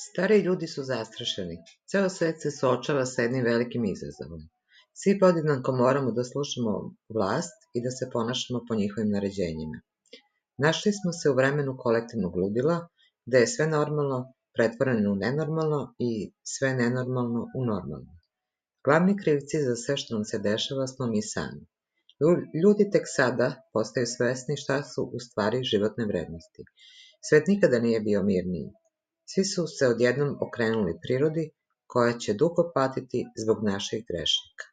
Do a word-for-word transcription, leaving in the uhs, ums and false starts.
Stariji ljudi su zastrašeni. Ceo svet se suočava sa jednim velikim izazovom. Svi podjednako moramo da slušamo vlast i da se ponašamo po njihovim naređenjima. Našli smo se u vremenu kolektivnog ludila, gde je sve normalno pretvoreno u nenormalno i sve nenormalno u normalno. Glavni krivci za sve što nam se dešava smo mi sami. Ljudi tek sada postaju svesni šta su u stvari životne vrednosti. Svet nikada nije bio mirniji. Svi su se odjednom okrenuli prirodi, koja će dugo patiti zbog naših grešaka.